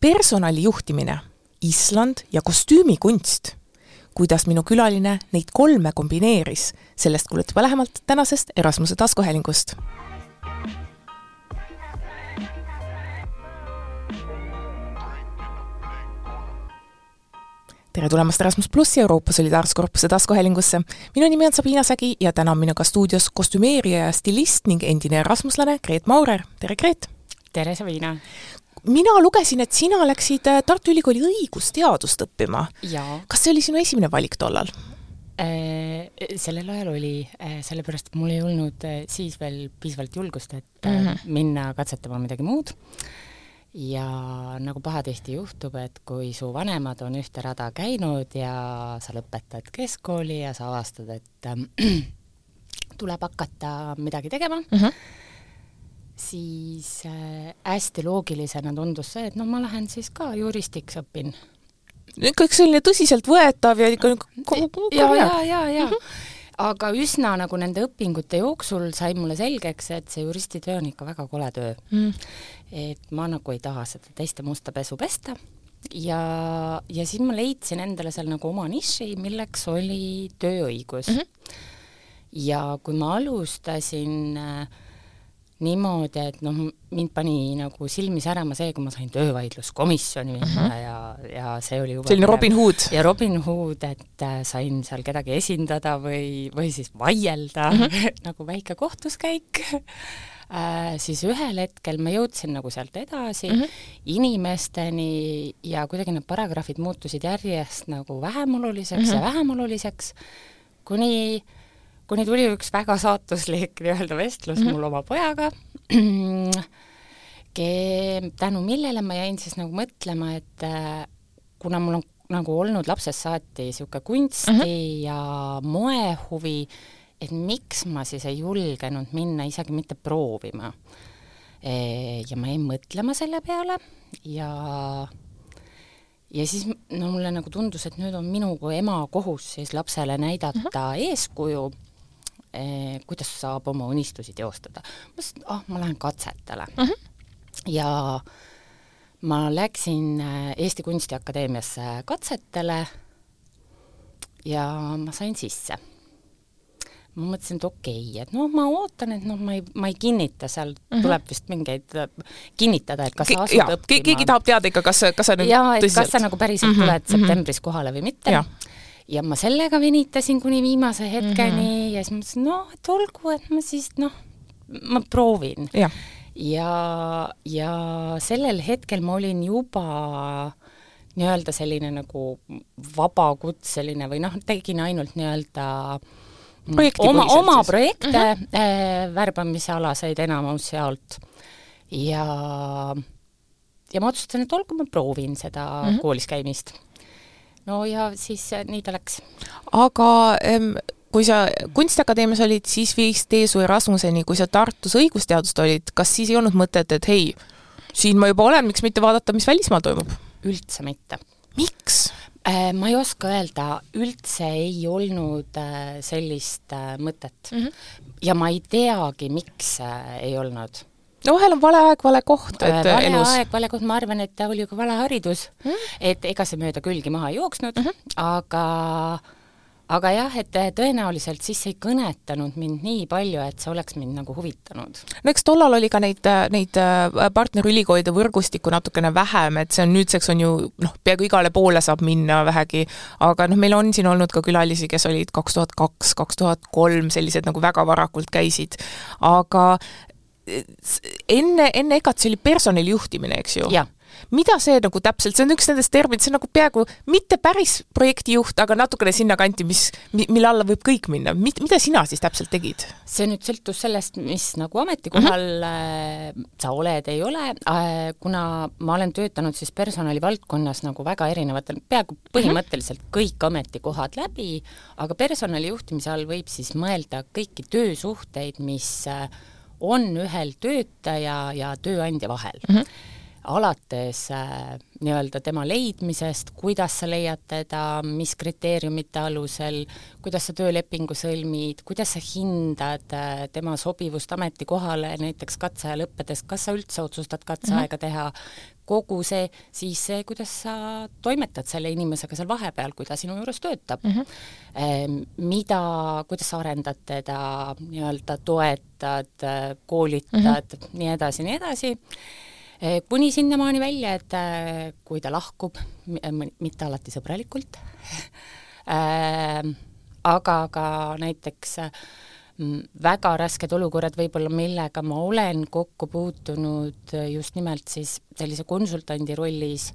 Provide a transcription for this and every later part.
personalijuhtimine, Island ja kostüümikunst. Kuidas minu külaline neid 3 kombineeris, sellest kuulete juba lähemalt tänasest Erasmuse taskuhäälingust. Tere tulemast Erasmus Plussi Euroopa Solidaarsuskorpuse taskuhäälingusse. Minu nimi on Sabina Sägi ja täna on minuga stuudios kostümeerija ja stilist ning endine erasmuslane Greet Maurer. Tere, Greet! Tere, Sabina! Mina lugesin, et sina läksid Tartu Ülikooli õigusteadust õppima. Jaa. Kas see oli sinu esimene valik tollal? Sellel ajal oli, sellepärast mul ei olnud siis veel piisavalt julgust, et minna katsetama midagi muud. Ja nagu pahatihti juhtub, et kui su vanemad on ühte rada käinud ja sa lõpetad keskkooli ja sa avastad, et tuleb hakata midagi tegema, siis hästi loogilisena tundus see, et no ma lähen siis ka juristiks õpin. Kõik selline tõsiselt võetav ja ikka ja. Aga üsna nagu nende õpingute jooksul sai mulle selgeks, et see juristitöö on ikka väga kole töö. Et ma nagu ei taha seda teiste musta pesu pesta. Ja siis ma leidsin endale seal nagu oma niši, milleks oli tööõigus. Ja kui ma alustasin niimoodi, et mind pani nagu silmi särama see, kui ma sain töövaidluskomisjoni minna ja see oli juba... Selline Robin Hood. Ja Robin Hood, et sain seal kedagi esindada või siis vaielda, nagu väike kohtuskäik. Siis ühel hetkel ma jõudsin nagu sealt edasi inimesteni ja kuidagi need paragrahvid muutusid järjest nagu vähem oluliseks, kuni tuli üks väga saatuslik vestlus mul oma pojaga, tänu millele ma jäin siis nagu mõtlema, et kuna mul on nagu olnud lapsest saati siuke kunsti ja moehuvi, et miks ma siis ei julgenud minna isegi mitte proovima. Ja ma jäin mõtlema selle peale ja siis mulle nagu tundus, et nüüd on minu kui ema kohus siis lapsele näidata eeskuju, kuidas saab oma unistusi teostada. Ma mõtlesin, ma lähen katsetele. Ja ma läksin Eesti Kunstiakadeemiasse katsetele ja ma sain sisse. Ma mõtlesin, et okei, et ma ootan, et ma ei kinnita, seal tuleb vist mingeid kinnitada, et kas sa asud õppima. Keegi tahab teada ikka, kas sa nüüd tõsiselt. Kas sa nagu päriselt tuled septembris kohale või mitte. Ja ma sellega venitasin kuni viimase hetkeni ja siis mõtlesin, et olgu, et ma siis, ma proovin. Ja sellel hetkel ma olin juba nii-öelda selline nagu vabakutseline või tegin ainult nii-öelda oma projekte, värbamise alaseid enamus sealt. Ja ma otsustasin, et olgu, ma proovin seda koolis käimist. No ja siis nii ta läks. Aga kui sa Kunstiakadeemias olid, siis viis tee su Erasmuseni, kui sa Tartus õigusteadust olid, kas siis ei olnud mõtet, et hei, siin ma juba olen, miks mitte vaadata, mis välismaal toimub? Üldse mitte. Miks? Ma ei oska öelda, üldse ei olnud sellist mõtet. Ja ma ei teagi, miks ei olnud. No vahel on vale aeg, vale koht. Vale koht, ma arvan, et oli ju ka vale haridus, et ega see mööda külgi maha ei jooksnud, aga jah, et tõenäoliselt siis ei kõnetanud mind nii palju, et see oleks mind nagu huvitanud. No eks tollal oli ka neid partnerülikoolide võrgustikku natukene vähem, et see on nüüdseks on ju, peaaegu igale poole saab minna vähegi, aga meil on siin olnud ka külalisi, kes olid 2002, 2003, sellised nagu väga varakult käisid, aga enne EKAT see oli personalijuhtimine, eks ju? Jah. Mida see nagu täpselt, see on üks nendest terminid, see on nagu peaaegu mitte päris projektijuht, aga natukene sinna kanti, mille alla võib kõik minna. Mida sina siis täpselt tegid? See nüüd sõltus sellest, mis nagu ametikohal sa oled, ei ole. Kuna ma olen töötanud siis personalivaldkonnas nagu väga erinevatel, peaaegu põhimõtteliselt kõik ametikohad läbi, aga personalijuhtimise all võib siis mõelda kõiki töösuhteid, mis on ühel töötaja ja tööandja vahel. alates nii-öelda tema leidmisest, kuidas sa leiad teda, mis kriteeriumite alusel, kuidas sa töölepingu sõlmid, kuidas sa hindad tema sobivust ametikohale, näiteks katseaja lõppedes, kas sa üldse otsustad katseaega teha, kogu see, siis see, kuidas sa toimetad selle inimesega seal vahepeal, kui ta sinu juures töötab. Kuidas sa arendad teda, nii-öelda toetad, koolitad, nii edasi, kuni sinnamaani välja, et kui ta lahkub, mitte alati sõbralikult, aga ka näiteks väga rasked olukorrad võib-olla, millega ma olen kokku puutunud just nimelt siis sellise konsultandi rollis,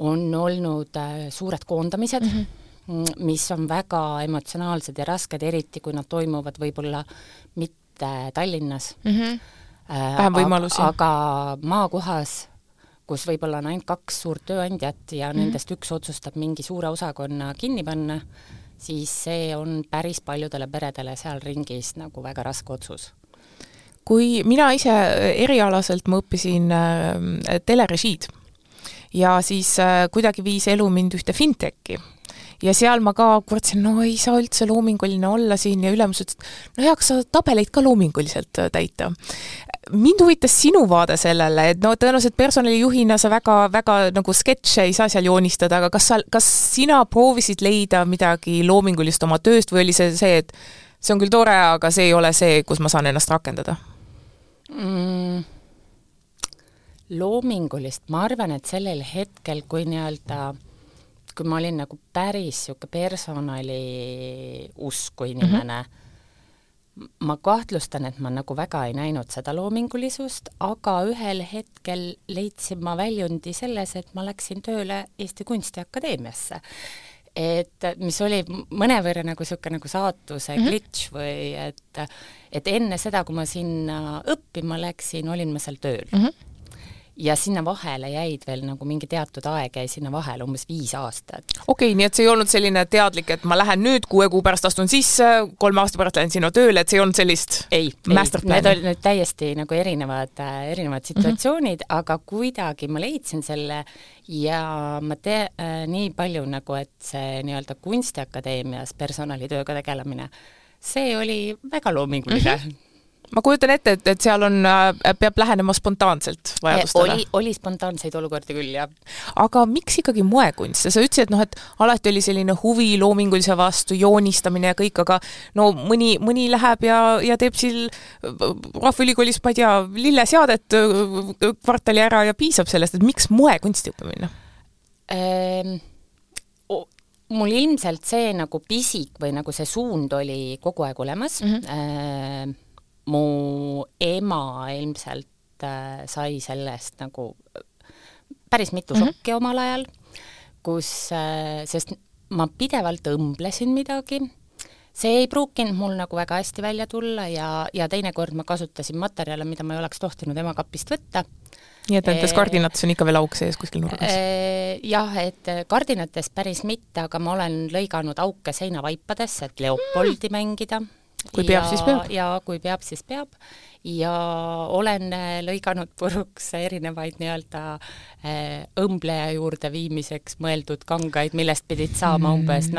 on olnud suured koondamised, mis on väga emotsionaalsed ja rasked, eriti kui nad toimuvad võib-olla mitte Tallinnas. Vähem võimalusi. Aga maakohas, kus võib-olla on ainult 2 suurt tööandjat ja nendest üks otsustab mingi suure osakonna kinni panna, siis see on päris paljudele peredele seal ringis nagu väga raske otsus. Kui mina ise erialaselt ma õppisin telerežiid ja siis kuidagi viis elu mind ühte fintechi. Ja seal ma ka kurtsin, ei saa üldse loominguline olla siin ja ülemus ütles, kas sa tabeleid ka loominguliselt täita. Mind huvitas sinu vaade sellele, et tõenäoliselt personalijuhina sa väga nagu sketše ei saa seal joonistada, aga kas sina proovisid leida midagi loomingulist oma tööst või oli see, et see on küll tore, aga see ei ole see, kus ma saan ennast rakendada? Loomingulist, ma arvan, et sellel hetkel, kui ma olin nagu päris personali usku inimene, ma kahtlustan, et ma nagu väga ei näinud seda loomingulisust, aga ühel hetkel leidsin ma väljundi selles, et ma läksin tööle Eesti Kunstiakadeemiasse. Et mis oli mõnevõrra nagu siuke nagu saatuse glitch või et enne seda, kui ma sinna õppima läksin, olin ma seal tööl. Ja sinna vahele jäid veel nagu mingi teatud aeg jäi sinna vahele umbes 5 aastat. Okei, nii et see ei olnud selline teadlik, et ma lähen nüüd 6 kuu pärast astun sisse, 3 aasta pärast lähen sinna tööle, et see ei olnud sellist masterplani? Need olid nüüd täiesti nagu erinevad situatsioonid, aga kuidagi ma leidsin selle ja ma nii palju nagu, et see nii-öelda Kunstiakadeemias personalitööga tegelemine, see oli väga loominguline. Ma kujutan ette, et seal peab lähenema spontaanselt vajadustele. Oli spontaanseid olukordi küll, jah. Aga miks ikkagi moekunst? Sa ütlesid, et alati oli selline huvi loomingulise vastu, joonistamine ja kõik, aga mõni läheb ja teeb Rahvaülikoolis, ma ei tea, lilleseadet kvartali ära ja piisab sellest, et miks moekunsti õppimine? Mul ilmselt see nagu pisik või nagu see suund oli kogu aeg olemas. Mu ema ilmselt sai sellest nagu päris mitu šokki omal ajal, sest ma pidevalt õmblesin midagi. See ei pruukinud mul nagu väga hästi välja tulla ja teinekord ma kasutasin materjale, mida ma ei oleks tohtinud ema kapist võtta. Nii et nendes kardinates on ikka veel auk sees kuskil nurgas? Jah, et kardinates päris mitte, aga ma olen lõiganud auke seinavaipadesse, et Leopoldi mängida. Kui peab, siis peab. Ja kui peab, siis peab. Ja olen lõiganud puruks erinevaid nii-öelda õmbleja juurde viimiseks mõeldud kangaid, millest pidid saama umbes,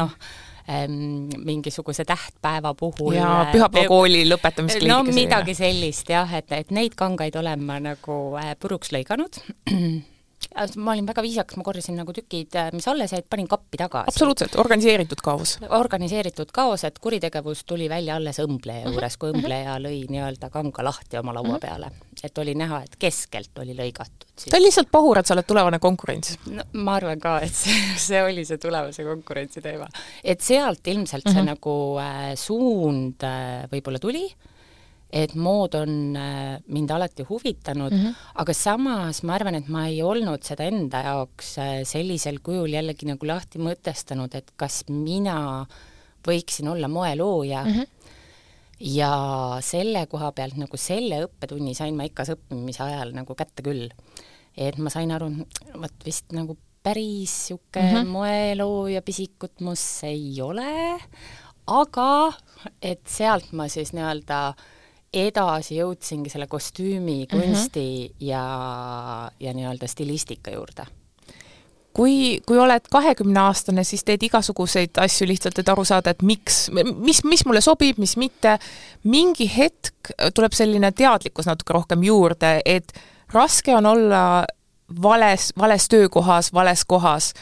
mingisuguse tähtpäeva puhul. Ja pühapäevakooli lõpetamiskliidiga. No midagi sellist, jah, et neid kangaid olen ma nagu puruks lõiganud. Ma olin väga viisakas, ma korjasin nagu tükid, mis alles jäid, panin kappi tagasi. Absoluutselt, organiseeritud kaos. Organiseeritud kaos, et kuritegevus tuli välja alles õmbleja juures, kui õmbleja lõi nii-öelda kanga lahti oma laua peale. Et oli näha, et keskelt oli lõigatud. Ta on lihtsalt pahur, et sa oled tulevane konkurents. No, ma arvan ka, et see oli see tulevase konkurentsi teema. Et sealt ilmselt see nagu suund võib-olla tuli, et mood on mind alati huvitanud, aga samas ma arvan, et ma ei olnud seda enda jaoks sellisel kujul jällegi nagu lahti mõtestanud, et kas mina võiksin olla moelooja ja selle koha pealt nagu selle õppetunni sain ma ikka õppimise ajal nagu kätte küll. Et ma sain aru, võt vist nagu päris siuke moelooja pisikut mus ei ole, aga et sealt ma siis nii-öelda edasi jõudsingi selle kostüümi, kunsti ja nii-öelda stilistika juurde. Kui oled 20-aastane, siis teed igasuguseid asju lihtsalt, et aru saada, et mis mulle sobib, mis mitte. Mingi hetk tuleb selline teadlikkus natuke rohkem juurde, et raske on olla vales töökohas, vales kohas,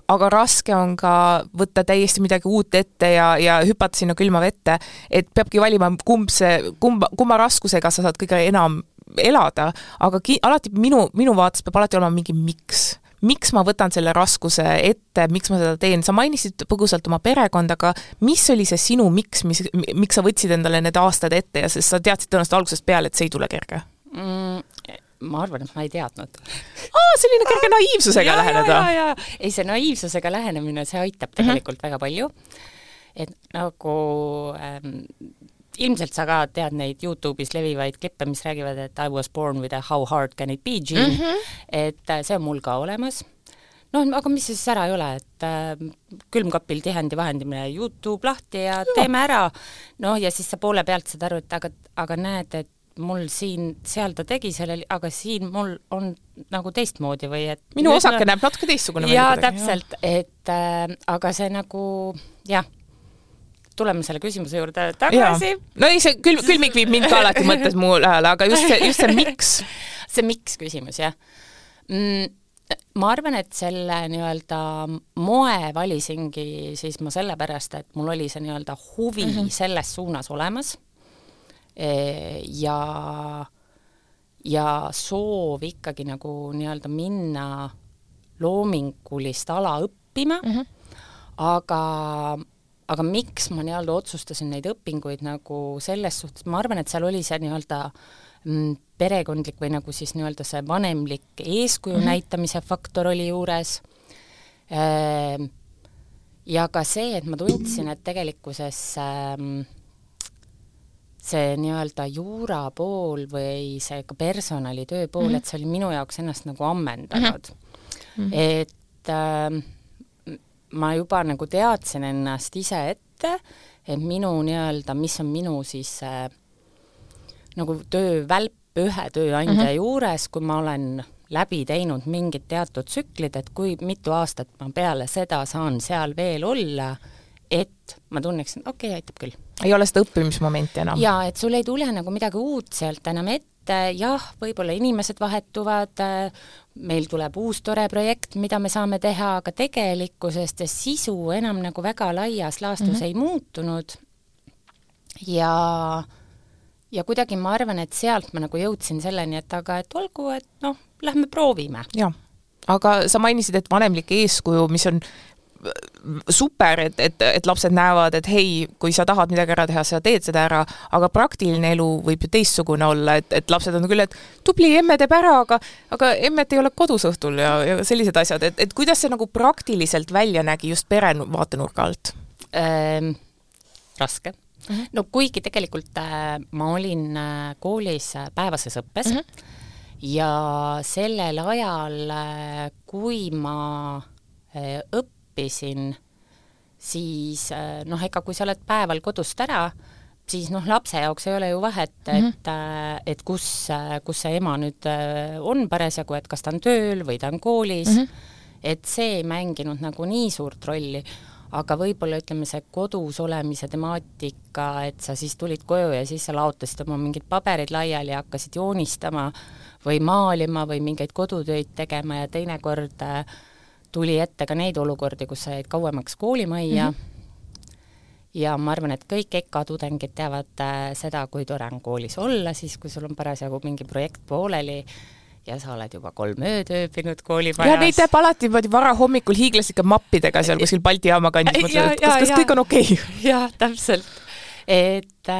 aga raske on ka võtta täiesti midagi uut ette ja hüpata sinna külma vette, et peabki valima, kumma raskusega sa saad kõige enam elada, aga alati minu vaates peab alati olema mingi miks ma võtan selle raskuse ette, miks ma seda teen. Sa mainisid põgusalt oma perekond, aga mis oli see sinu miks sa võtsid endale need aastad ette ja sest sa teadsid tõenäoliselt algusest peale, et see ei tule kerge? Ma arvan, et ma ei teadnud. Selline kerge naiivsusega läheneda. Ei, see naiivsusega lähenemine, see aitab tegelikult väga palju. Et nagu ilmselt sa ka tead neid YouTube'is levivaid klippe, mis räägivad, et I was born with a how hard can it be gene, et see on mul ka olemas. Aga mis siis ära ei ole, et külmkapil tihendi vahendimine YouTube lahti ja teeme ära. Ja siis sa poole pealt saad aru, et aga näed, et mul seal ta tegi sellel, aga siin mul on nagu teistmoodi või et... Minu osake näeb natuke teistsugune. Jaa, täpselt, et aga see nagu, tuleme selle küsimuse juurde tagasi. No ei, see külmik viib mind ka alati mõttes muul ajal, aga just see miks. See miks küsimus, jah. Ma arvan, et selle nii-öelda moe valisingi siis ma sellepärast, et mul oli see nii-öelda huvi selles suunas olemas ja soov ikkagi nagu nii-öelda minna loomingulist ala õppima, aga miks ma nii-öelda otsustasin neid õpinguid nagu selles suhtes, ma arvan, et seal oli see nii-öelda perekondlik või nagu siis nii-öelda see vanemlik eeskuju näitamise faktor oli juures. Ja ka see, et ma tundsin, et tegelikkuses see nii-öelda juura pool või see ka personalitöö pool, et see oli minu jaoks ennast nagu ammendanud. Et ma juba nagu teadsin ennast ise ette, et minu nii-öelda, mis on minu siis nagu töövälp ühe tööandja juures, kui ma olen läbi teinud mingid teatud tsüklid, et kui mitu aastat ma peale seda saan seal veel olla, et ma tunneksin, okei, aitab küll. Ei ole seda õppimismomenti enam. Ja, et sul ei tule nagu midagi uut sealt enam ette, võib-olla inimesed vahetuvad, meil tuleb uus tore projekt, mida me saame teha, aga tegelikkusest ja sisu enam nagu väga laias laastus ei muutunud. Ja kuidagi ma arvan, et sealt ma nagu jõudsin selleni, et olgu, et lähme proovime. Ja, aga sa mainisid, et vanemlik eeskuju, mis on super, et lapsed näevad, et hei, kui sa tahad midagi ära teha, sa teed seda ära, aga praktiline elu võib ju teistsugune olla, et lapsed on küll, et tubli, emme teeb ära, aga emmet ei ole kodus õhtul ja sellised asjad, et kuidas see nagu praktiliselt välja nägi just pere vaatenurga alt? Raske. No kuigi tegelikult ma olin koolis päevases õppes ja sellel ajal, kui ma õppisin, siis ega kui sa oled päeval kodust ära, siis lapse jaoks ei ole ju vahet, et kus see ema nüüd on parasjagu, et kas ta on tööl või ta on koolis, et see ei mänginud nagu nii suurt rolli, aga võib-olla ütleme see kodus olemise temaatika, et sa siis tulid koju ja siis sa laotasid oma mingid paberid laiali ja hakkasid joonistama või maalima või mingeid kodutöid tegema ja teinekord tuli ette ka neid olukordi, kus sa jäid kauemaks koolimajja ja ma arvan, et kõik EKA tudengid teavad seda, kui tore on koolis olla, siis kui sul on parasjagu mingi projekt pooleli ja sa oled juba 3 ööd ööbinud koolimajas. Ja neid teeb alati vara hommikul hiiglaslike mappidega seal kuskil Balti jaama kandis, kas kõik on okei? Jah, täpselt. Et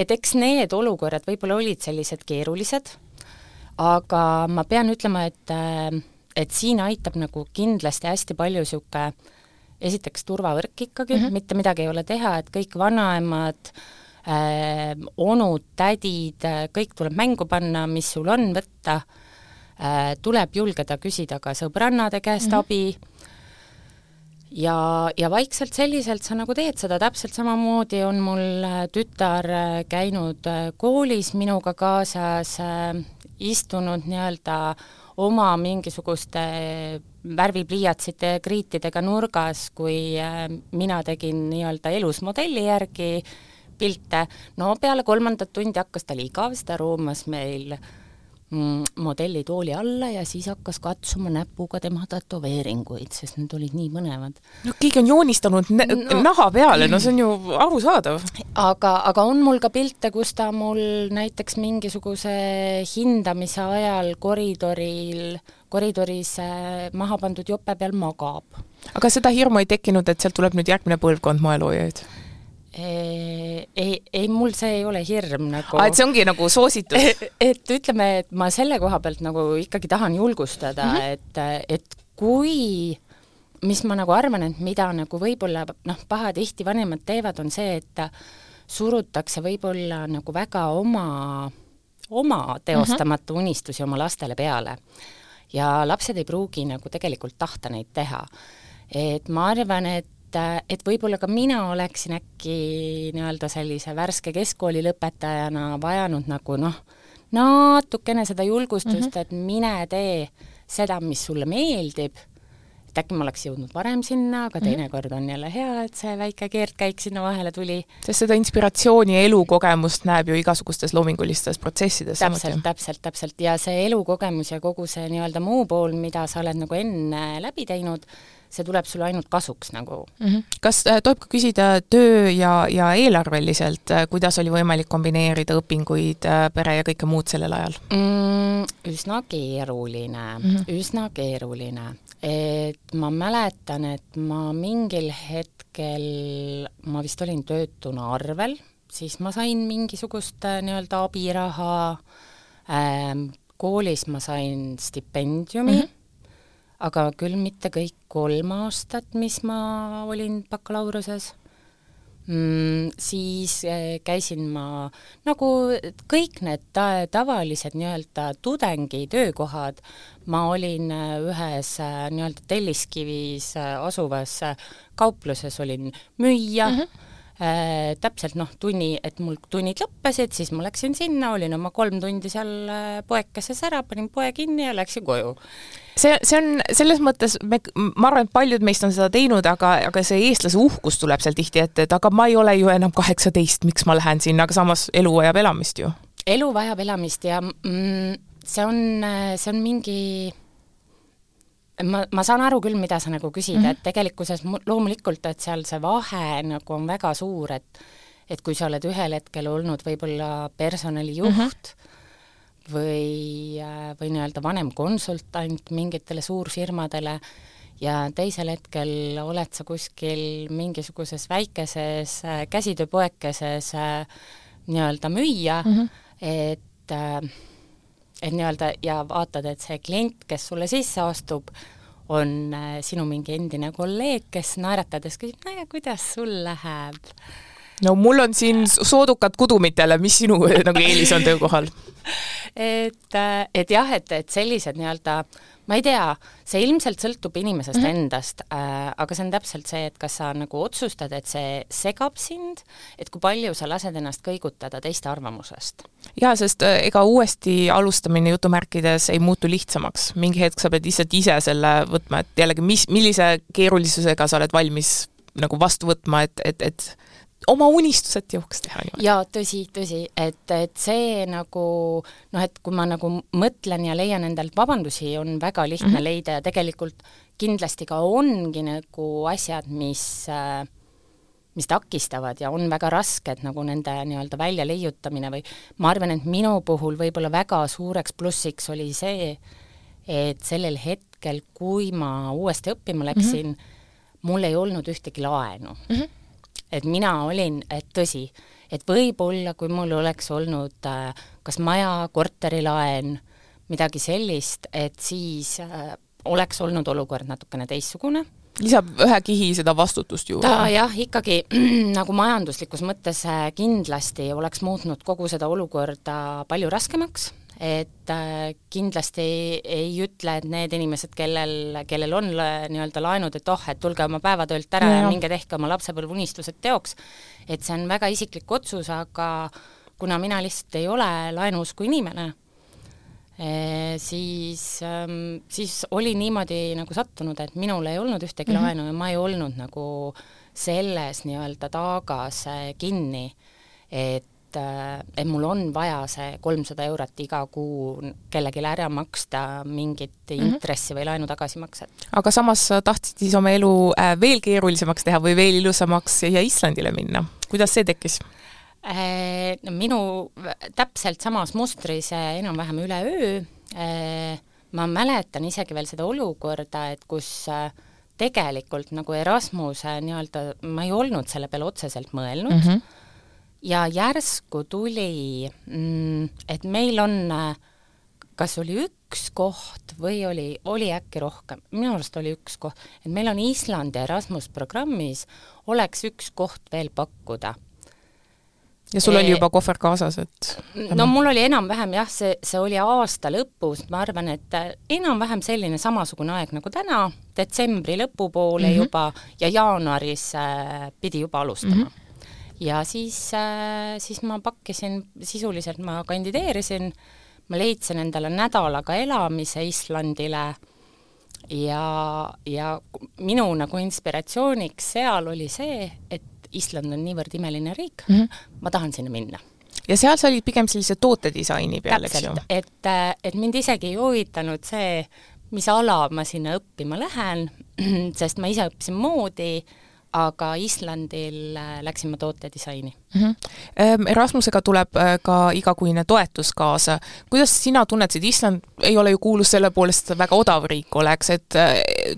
eks need olukorrad võib-olla olid sellised keerulised, aga ma pean ütlema, et siin aitab nagu kindlasti hästi palju siuke esiteks turvavõrk ikkagi, mitte midagi ei ole teha, et kõik vanaemad, onud, tädid, kõik tuleb mängu panna, mis sul on võtta, tuleb julgeda küsida ka sõbrannade käest abi ja vaikselt selliselt sa nagu teed seda, täpselt samamoodi on mul tütar käinud koolis minuga kaasas, istunud nii-öelda oma mingisuguste värvipliiatsite kriitidega nurgas, kui mina tegin nii-öelda elus modelli järgi pilte. No peale 3. tundi hakkas tal igav, ta roomas meil modellitooli alla ja siis hakkas katsuma näpuga tema tätoveeringuid, sest need olid nii mõnevad. No keegi on joonistanud naha peale, no see on ju arusaadav. Aga on mul ka pilte, kus ta mul näiteks mingisuguse hindamise ajal koridoris maha pandud jope peal magab. Aga seda hirmu ei tekkinud, et sealt tuleb nüüd järgmine põlvkond moeloojaid? Ei, mul see ei ole hirm nagu. Et see ongi nagu soositus? Et ütleme, et ma selle koha pealt nagu ikkagi tahan julgustada, et kui, mis ma nagu arvan, et mida nagu võib-olla pahatihti vanemad teevad, on see, et surutakse võib-olla nagu väga oma teostamata unistusi oma lastele peale. Ja lapsed ei pruugi nagu tegelikult tahta neid teha. Et ma arvan, et võib-olla ka mina oleksin äkki nii-öelda sellise värske keskkooli lõpetajana vajanud nagu natukene seda julgustust, et mine tee seda, mis sulle meeldib, et äkki ma oleks jõudnud varem sinna, aga teinekord on jälle hea, et see väike keerdkäik sinna vahele tuli. Sest seda inspiratsiooni ja elukogemust näeb ju igasugustes loomingulistes protsessides. Täpselt. Ja see elukogemus ja kogu see nii-öelda muu pool, mida sa oled nagu enne läbi teinud, see tuleb sulle ainult kasuks nagu. Kas tohib ka küsida töö ja eelarveliselt, kuidas oli võimalik kombineerida õpinguid, pere ja kõike muud sellel ajal? Üsna keeruline. Et ma mäletan, et ma mingil hetkel, ma vist olin töötuna arvel, siis ma sain mingisugust nii-öelda abiraha, koolis ma sain stipendiumi, aga küll mitte kõik 3 aastat, mis ma olin bakalaureses. Siis käisin ma, nagu kõik need tavalised nii-öelda tudengi töökohad, ma olin ühes nii-öelda Telliskivis asuvas kaupluses, olin müüja, täpselt et mul tunnid lõppesid, siis ma läksin sinna, olin oma 3 tundi seal poekeses ära, panin poe kinni ja läksin koju. See on selles mõttes, ma arvan, et paljud meist on seda teinud, aga see eestlase uhkus tuleb seal tihti ette, et aga ma ei ole ju enam 18, miks ma lähen sinna, aga samas elu vajab elamist ju. Elu vajab elamist ja see on mingi... Ma saan aru küll, mida sa nagu küsid, et tegelikkuses loomulikult, et seal see vahe nagu on väga suur, et kui sa oled ühel hetkel olnud võib-olla personalijuht või nii-öelda vanem konsultant mingitele suurfirmadele ja teisel hetkel oled sa kuskil mingisuguses väikeses käsitööpoekeses nii-öelda müüja, et nii-öelda ja vaatad, et see klient, kes sulle sisse astub, on sinu mingi endine kolleeg, kes naeratades küsib, kuidas sul läheb? No mul on siin soodukad kudumitele, mis sinu nagu eelis on töökohal? Et jah, et sellised nii-öelda, ma ei tea, see ilmselt sõltub inimesest endast, aga see on täpselt see, et kas sa nagu otsustad, et see segab sind, et kui palju sa lased ennast kõigutada teiste arvamusest. Jaa, sest ega uuesti alustamine jutumärkides ei muutu lihtsamaks. Mingi hetk sa pead lihtsalt ise selle võtma, et jällegi, millise keerulisusega sa oled valmis nagu vastu võtma, et oma unistused jõuks teha. Ja tõsi, et see nagu, et kui ma nagu mõtlen ja leian endalt vabandusi, on väga lihtne leida ja tegelikult kindlasti ka ongi nagu asjad, mis takistavad ja on väga rasked nagu nende nii-öelda välja leiutamine või ma arvan, et minu puhul võib-olla väga suureks plussiks oli see, et sellel hetkel, kui ma uuesti õppima läksin, mul ei olnud ühtegi laenu. Et mina olin, et tõsi, et võib-olla, kui mul oleks olnud kas maja, korterilaen, midagi sellist, et siis oleks olnud olukord natukene teissugune. Lisab ühe kihi seda vastutust ju. Jah, ikkagi nagu majanduslikus mõttes kindlasti oleks muutnud kogu seda olukorda palju raskemaks, et kindlasti ei ütle, et need inimesed, kellel on nii-öelda laenud, et et tulge oma päevatöölt ära ja minge tehke oma lapsepõlvunistused teoks, et see on väga isiklik otsus, aga kuna mina lihtsalt ei ole laenuusku inimene, siis oli niimoodi nagu sattunud, et minul ei olnud ühtegi laenu ja ma ei olnud nagu selles nii-öelda taagas kinni, et mul on vaja see 300 eurot iga kuu kellegile ära maksta mingit intressi või laenu tagasimakset. Aga samas tahtsid siis oma elu veel keerulisemaks teha või veel ilusamaks ja Islandile minna. Kuidas see tekkis? Minu täpselt samas mustris enam-vähem üle öö. Ma mäletan isegi veel seda olukorda, et kus tegelikult nagu Erasmuse nii-öelda, ma ei olnud selle peale otseselt mõelnud ja järsku tuli, et meil on, kas oli üks koht või oli äkki rohkem, minu arust oli üks koht, et meil on Islandi Erasmus programmis oleks üks koht veel pakkuda. Ja sul oli juba kohver kaasas, et... No mul oli enam-vähem, jah, see oli aasta lõpus, ma arvan, et enam-vähem selline samasugune aeg nagu täna, detsembri lõpupoole juba ja jaanuaris pidi juba alustama. Ja siis ma pakkisin, sisuliselt ma kandideerisin, ma leidsin endale nädalaga elamise Islandile ja minu nagu inspiratsiooniks seal oli see, et Island on niivõrd imeline riik, ma tahan sinna minna. Ja seal sa olid pigem sellise tootedisaini peal, eks ju? Et mind isegi ei huvitanud see, mis ala ma sinna õppima lähen, sest ma ise õppisin moodi, aga Islandil läksin ma tootedisaini. Erasmusega tuleb ka igakuine toetus kaasa. Kuidas sina tunned, et Island ei ole ju kuulus selle poolest väga odav riik oleks, et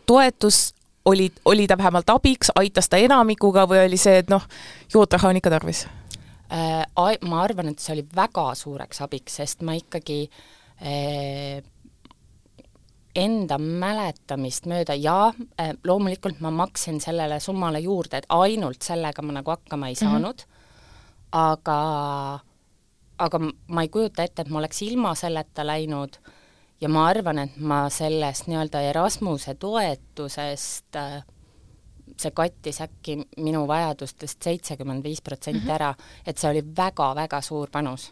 toetus oli ta vähemalt abiks, aitas ta enamikuga või oli see, et jootraha on ikka tarvis? Ma arvan, et see oli väga suureks abiks, sest ma ikkagi enda mäletamist mööda loomulikult ma maksin sellele summale juurde, et ainult sellega ma nagu hakkama ei saanud, aga ma ei kujuta ette, et ma oleks ilma selleta läinud ja ma arvan, et ma sellest nii-öelda Erasmuse toetusest see kattis äkki minu vajadustest 75% ära, et see oli väga-väga suur panus.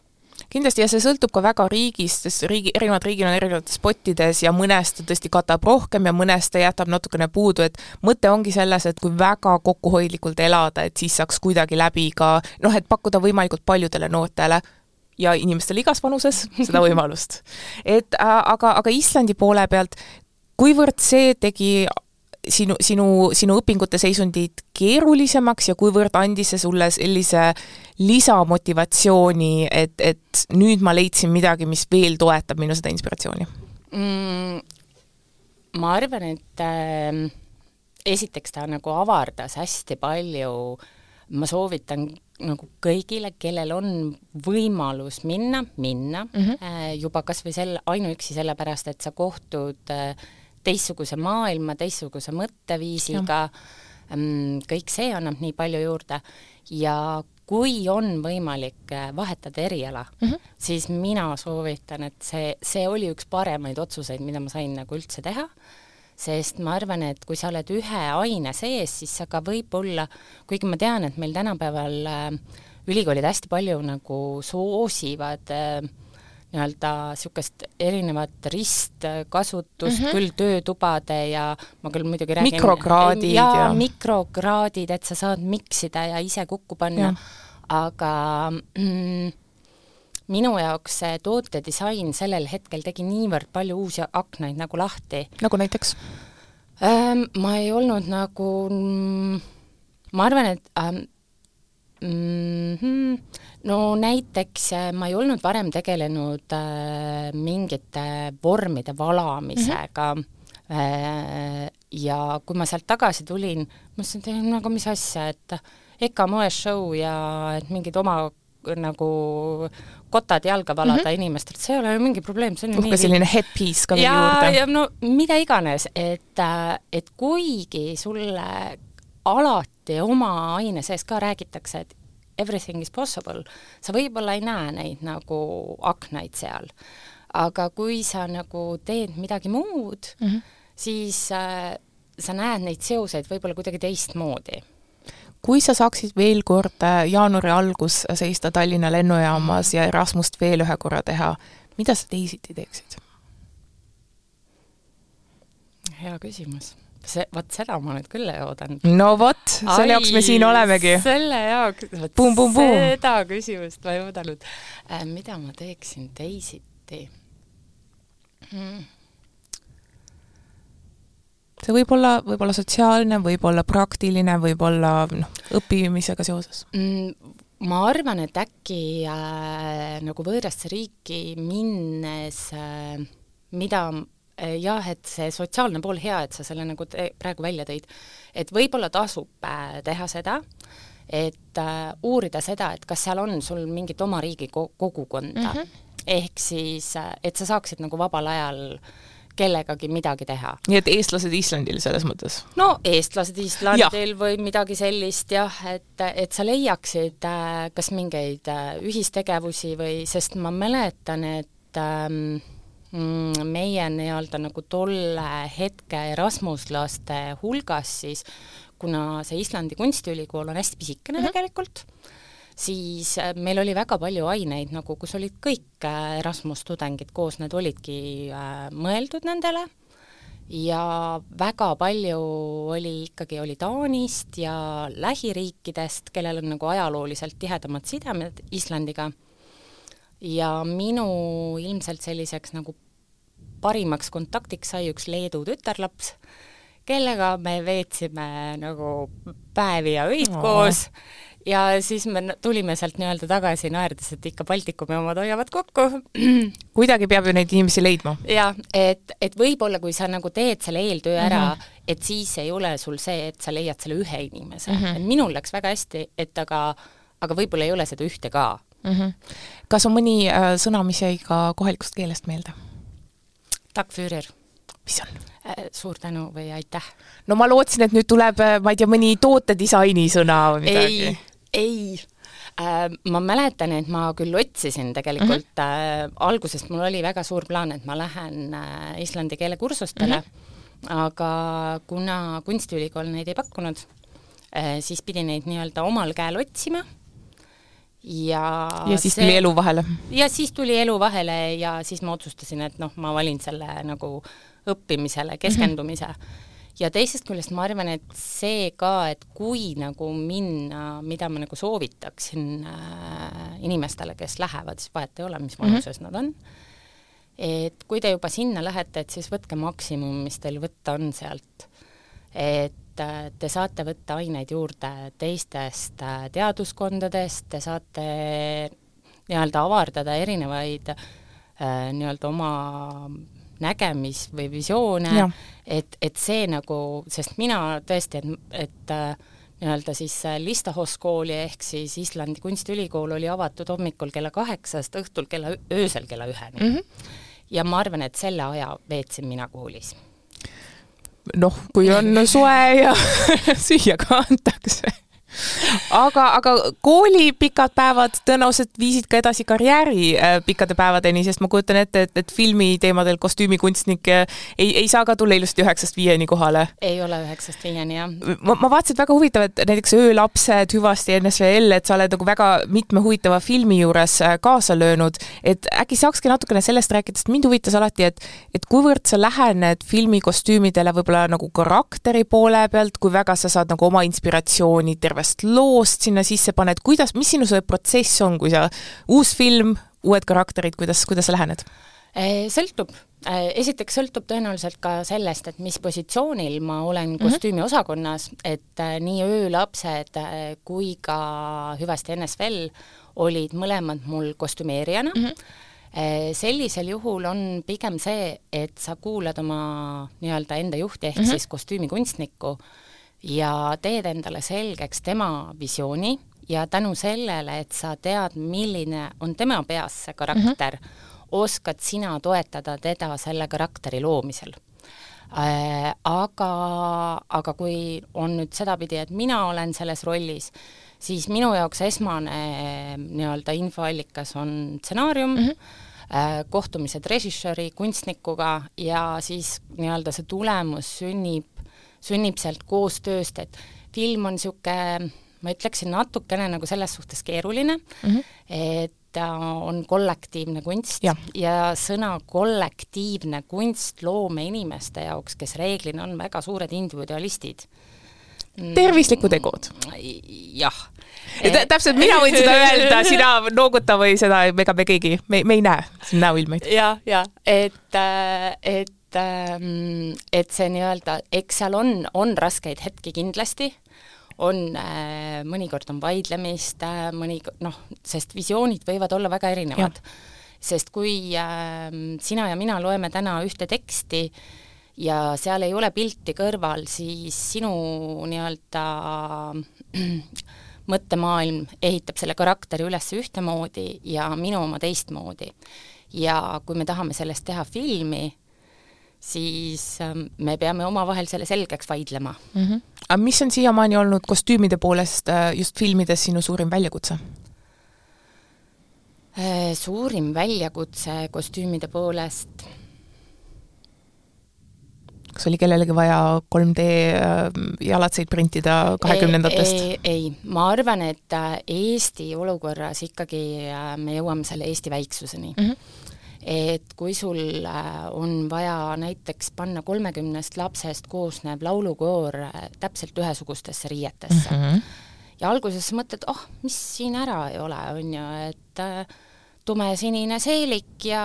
Kindlasti ja see sõltub ka väga riigist, sest erinevad riigid on erinevates spottides ja mõnest tõesti katab rohkem ja mõnest jätab natukene puudu, et mõte ongi selles, et kui väga kokkuhoidlikult elada, et siis saaks kuidagi läbi ka, et pakkuda võimalikult paljudele noortele ja inimestele igas vanuses seda võimalust. Aga Islandi poole pealt, kuivõrd see tegi sinu õpingute seisundid keerulisemaks ja kuivõrd andis see sulle sellise lisamotivatsiooni, et nüüd ma leidsin midagi, mis veel toetab minu seda inspiratsiooni? Ma arvan, et esiteks ta nagu avardas hästi palju, ma soovitan nagu kõigile, kellel on võimalus minna, juba kas või ainuüksi sellepärast, et sa kohtud teistsuguse maailma, teistsuguse mõtteviisiga, kõik see annab nii palju juurde ja kui on võimalik vahetada eriala, siis mina soovitan, et see oli üks paremaid otsuseid, mida ma sain nagu üldse teha, sest ma arvan, et kui sa oled ühe aine sees, siis sa ka võib-olla, kuigi ma tean, et meil tänapäeval ülikoolid hästi palju nagu soosivad nii-öelda niisugust erinevat ristkasutust, küll töötubade ja ma küll muidugi räägin mikrokraadid, et sa saad miksida ja ise kokku panna, aga minu jaoks see tootedisain sellel hetkel tegi niivõrd palju uusi aknaid nagu lahti. Nagu näiteks? Ma ei olnud nagu, ma arvan, et no näiteks ma ei olnud varem tegelenud mingite vormide valamisega ja kui ma sealt tagasi tulin, ma mõtlesin, et mis asja, et EKA moeshow ja et mingid oma nagu kotad jalga valada inimestelt, see ei ole ju mingi probleem. Ka selline headpiece ka juurde. Ja no mida iganes, et kuigi sulle alati oma aine sees ka räägitakse, et everything is possible, sa võib-olla ei näe neid nagu aknaid seal. aga kui sa nagu teed midagi muud, siis sa näed neid seoseid võib-olla kuidagi teistmoodi. Kui sa saaksid veel kord jaanuari algus seista Tallinna lennujaamas ja Erasmust veel ühe korra teha, mida sa teisiti teeksid? Hea küsimus. Seda ma nüüd küll ei oodanud. No vot, selle jaoks me siin olemegi. Selle jaoks, seda küsimust ma ei oodanud. Mida ma teeksin teisiti? See võib olla sotsiaalne, võib olla praktiline, võib olla õppimisega seoses. Ma arvan, et äkki nagu võõrasse riiki minnes, mida jah, et see sotsiaalne pool hea, et sa selle nagu praegu välja tõid, et võib-olla tasub teha seda, et uurida seda, et kas seal on sul mingit oma riigi kogukonda, ehk siis, et sa saaksid nagu vabal ajal kellegagi midagi teha. Nii et eestlased Islandil selles mõttes? No eestlased Islandil või midagi sellist jah, et sa leiaksid kas mingeid ühistegevusi või, sest ma mäletan, et meie nii-öelda nagu tolle hetke erasmuslaste hulgas siis, kuna see Islandi kunstiülikool on hästi pisikene tegelikult, siis meil oli väga palju aineid, nagu kus olid kõik Erasmus tudengid koos, need olidki mõeldud nendele ja väga palju oli Taanist ja lähiriikidest, kellel on nagu ajalooliselt tihedamad sidemed Islandiga. Ja minu ilmselt selliseks nagu parimaks kontaktiks sai üks Leedu tütarlaps, kellega me veetsime nagu päevi ja öid koos ja siis me tulime sealt nii-öelda tagasi naerdes, et ikka Baltikumi omad hoiavad kokku. Kuidagi peab ju neid inimesi leidma. Ja, et võib-olla kui sa nagu teed selle eeltöö ära, et siis ei ole sul see, et sa leiad selle ühe inimese. Et minul läks väga hästi, et aga võib-olla ei ole seda ühte ka. Kas on mõni sõna, mis jäi ka kohalikust keelest meelde? Tack Führer. Mis on? Suur tänu või aitäh. No ma lootsin, et nüüd tuleb, ma ei tea, mõni tootedisaini sõna või midagi. Ei. Ma mäletan, et ma küll otsisin tegelikult algusest, mul oli väga suur plaan, et ma lähen islandi keelekursustele, aga kuna kunstiülikool neid ei pakkunud, siis pidi neid nii-öelda omal käel otsima. Ja siis tuli elu vahele. Ja siis tuli elu vahele ja siis ma otsustasin, et ma valin selle nagu õppimisele, keskendumise. Ja teisest küljest ma arvan, et see ka, et kui nagu minna, mida ma nagu soovitaksin inimestele, kes lähevad, siis vahet ei ole, mis vanuses nad on. Et kui te juba sinna lähete, et siis võtke maksimum, mis teil võtta on sealt. Et te saate võtta aineid juurde teistest teaduskondadest, te saate nii-öelda avardada erinevaid nii-öelda oma nägemis- või visioone, et see nagu, sest mina tõesti, et nii-öelda siis Listahoskooli ehk siis Islandi kunstiülikool oli avatud hommikul kella 8, õhtul öösel kella 1. Ja ma arvan, et selle aja veetsin mina koolis. Kui on soe ja süüa ka antakse. Aga kooli pikad päevad tõenäoliselt viisid ka edasi karjääri pikkade päevadeni, sest ma kujutan ette, et filmi teemadel kostüümikunstnik ei saa ka tulla ilusti 9-5 kohale. Ei ole 9-5, jah. Ma vaatasin, et väga huvitav, et näiteks Öölapsed, Hüvasti NSVL, et sa oled nagu väga mitme huvitava filmi juures kaasa löönud, et äkki saakski natukene sellest rääkida, sest mind huvitas alati, et kuivõrd sa lähened filmikostüümidele võib-olla nagu karakteri poole pealt, kui väga sa saad nagu oma inspiratsiooni terve loost sinna sisse paned, mis sinu see protsess on, kui sa uus film, uued karakterid, kuidas sa lähened? Sõltub. Esiteks sõltub tõenäoliselt ka sellest, et mis positsioonil ma olen kostüümi osakonnas, et nii Öölapsed kui ka Hüvasti NSVL olid mõlemad mul kostümeerijana. Sellisel juhul on pigem see, et sa kuulad oma nii-öelda enda juhti ehk siis kostüümikunstnikku ja teed endale selgeks tema visiooni ja tänu sellele, et sa tead, milline on tema peas see karakter, oskad sina toetada teda selle karakteri loomisel. Aga kui on nüüd sedapidi, et mina olen selles rollis, siis minu jaoks esmane nii-öelda infoallikas on stsenaarium, kohtumised režissööri, kunstnikuga ja siis nii-öelda see tulemus sünnib sealt koostööst, et film on niisugune, ma ütleksin natukene nagu selles suhtes keeruline, et ta on kollektiivne kunst ja sõna kollektiivne kunst loomeinimeste jaoks, kes reeglina on väga suured individualistid. Tervislikud tegud. Jah. Täpselt, mina võin seda öelda, sina nooguta või seda, ega me keegi, me ei näe siin näoilmeid. Ja, et see nii-öelda, eks seal on raskeid hetki kindlasti, mõnikord on vaidlemist, sest visioonid võivad olla väga erinevad. Sest kui sina ja mina loeme täna ühte teksti ja seal ei ole pilti kõrval, siis sinu nii-öelda mõttemaailm ehitab selle karakteri üles ühtemoodi ja minu oma teistmoodi. Ja kui me tahame sellest teha filmi, siis me peame omavahel selle selgeks vaidlema. Aga mis on siiamaani olnud kostüümide poolest just filmides sinu suurim väljakutse? Suurim väljakutse kostüümide poolest... Kas oli kellelegi vaja 3D jalatseid printida 20-ndatest? Ei. Ma arvan, et Eesti olukorras ikkagi me jõuame selle Eesti väiksuseni. Et kui sul on vaja näiteks panna 30 lapsest koosnev laulukoor täpselt ühesugustesse riietesse. Ja alguses mõtled, mis siin ära ei ole, on ju, et tumesinine seelik ja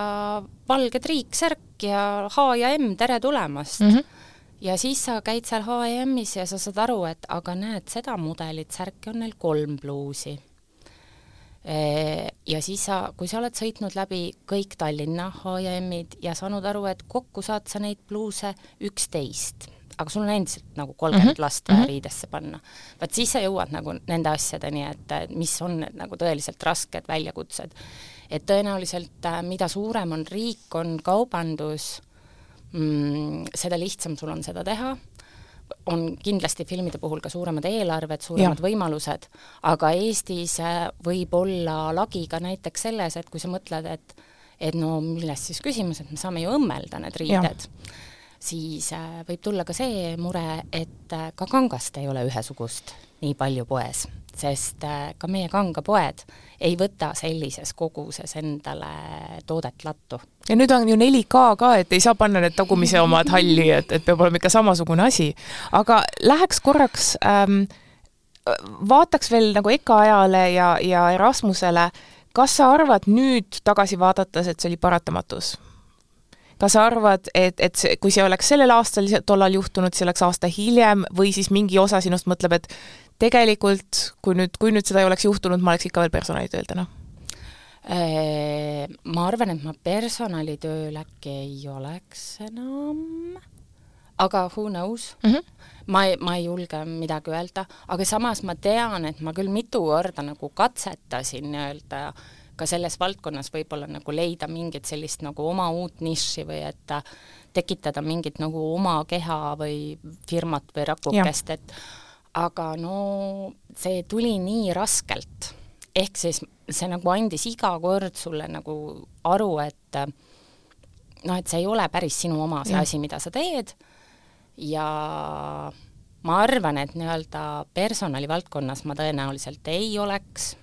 valge triiksärk ja H ja M, tere tulemast. Ja siis sa käid seal H&M-is ja sa saad aru, et aga näed, seda mudelit särki on neil 3 bluusi. Ja siis kui sa oled sõitnud läbi kõik Tallinna H&M-id ja saanud aru, et kokku saad sa neid bluuse 11, aga sul on endiselt nagu 30 last riidesse panna. Vaat siis sa jõuad nagu nende asjadeni, et mis on need nagu tõeliselt rasked väljakutsed. Et tõenäoliselt, mida suurem on riik, on kaubandus, seda lihtsam sul on seda teha. On kindlasti filmide puhul ka suuremad eelarved, suuremad võimalused, aga Eestis võib olla lagiga näiteks selles, et kui sa mõtled, et no millest siis küsimus, et me saame ju õmmelda need riided, siis võib tulla ka see mure, et ka kangast ei ole ühesugust nii palju poes, sest ka meie kangapoed ei võta sellises koguses endale toodet lattu. Ja nüüd on ju 4K ka, et ei saa panna need tagumise omad halli, et peab olema ikka samasugune asi. Aga läheks korraks, vaataks veel nagu Eka ajale ja Erasmusele, kas sa arvad nüüd tagasi vaadates, et see oli paratamatus? Kas sa arvad, et kui see oleks sellel aastal tollal juhtunud, see oleks aasta hiljem või siis mingi osa sinust mõtleb, et tegelikult, kui nüüd seda ei oleks juhtunud, ma oleks ikka veel personalitööl täna? Ma arvan, et ma personalitööl äkki ei oleks enam, aga who knows? Ma ei julge midagi öelda, aga samas ma tean, et ma küll mitu korda nagu katsetasin öelda ka selles valdkonnas võib-olla nagu leida mingit sellist nagu oma uut niši või et tekitada mingit nagu oma keha või firmat või rakukest, et aga no see tuli nii raskelt. Ehk siis see nagu andis iga kord sulle nagu aru, et see ei ole päris sinu oma see asi, mida sa teed. Ja ma arvan, et nii-öelda personali valdkonnas ma tõenäoliselt ei oleks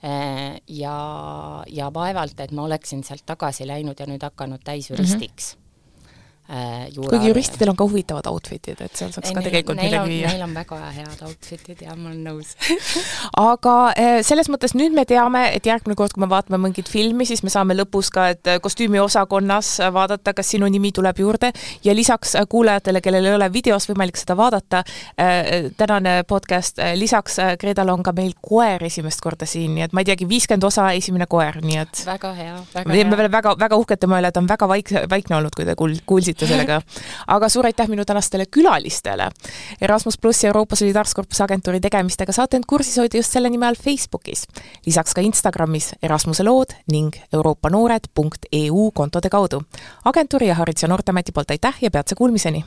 ja vaevalt, et ma oleksin sealt tagasi läinud ja nüüd hakanud täisjuristiks. Kuigi juristidel on ka huvitavad outfitid, et seal saaks ka tegelikult midagi viia. Neil on väga head outfitid ja ma olen nõus. Aga selles mõttes nüüd me teame, et järgmine kord, kui me vaatame mingit filmi, siis me saame lõpus ka, et kostüümi osakonnas vaadata, kas sinu nimi tuleb juurde ja lisaks kuulajatele, kellel ei ole videos võimalik seda vaadata, tänane podcast, lisaks Gredal on ka meil koer esimest korda siin, nii et ma ei teagi, 50 osa esimene koer, nii et väga hea. Me väga uhkete mõele, et on väga vaikne olnud, kui te kuulsite sellega. Aga suur aitäh minu tänastele külalistele. Erasmus Plus ja Euroopa Solidaarkorpuse agentuuri tegemistega saate end kursis hoida just selle nime all Facebookis. Lisaks ka Instagramis Erasmuse lood ning euroopanoored.eu kontode kaudu. Agentuuri ja Haridus- ja Noorteameti poolt aitäh ja peatse kuulmiseni!